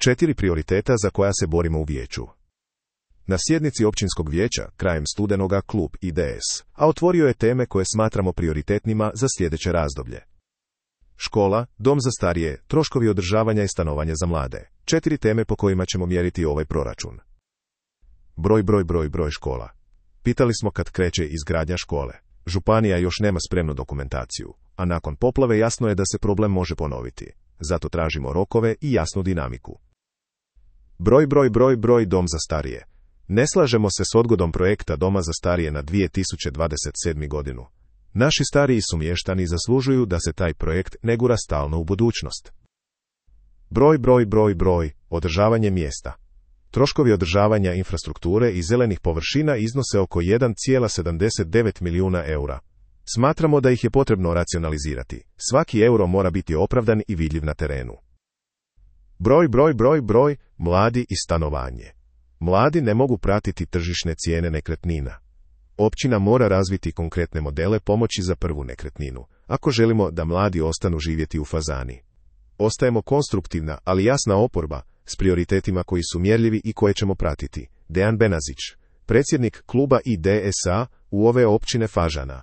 4 prioriteta za koja se borimo u vijeću. Na sjednici općinskog vijeća, krajem studenoga, klub IDS, otvorio je teme koje smatramo prioritetnima za sljedeće razdoblje. Škola, dom za starije, troškovi održavanja i stanovanja za mlade. 4 teme po kojima ćemo mjeriti ovaj proračun. Broj škola. Pitali smo kad kreće izgradnja škole. Županija još nema spremnu dokumentaciju, a nakon poplave jasno je da se problem može ponoviti. Zato tražimo rokove i jasnu dinamiku. Broj dom za starije. Ne slažemo se s odgodom projekta doma za starije na 2027. godinu. Naši stariji sumještani zaslužuju da se taj projekt ne gura stalno u budućnost. Broj, održavanje mjesta. Troškovi održavanja infrastrukture i zelenih površina iznose oko 1,79 milijuna eura. Smatramo da ih je potrebno racionalizirati. Svaki euro mora biti opravdan i vidljiv na terenu. Broj, mladi i stanovanje. Mladi ne mogu pratiti tržišne cijene nekretnina. Općina mora razviti konkretne modele pomoći za prvu nekretninu, ako želimo da mladi ostanu živjeti u Fazani. Ostajemo konstruktivna, ali jasna oporba, s prioritetima koji su mjerljivi i koje ćemo pratiti. Dejan Benazić, predsjednik kluba IDS-a u ove općine Fažana.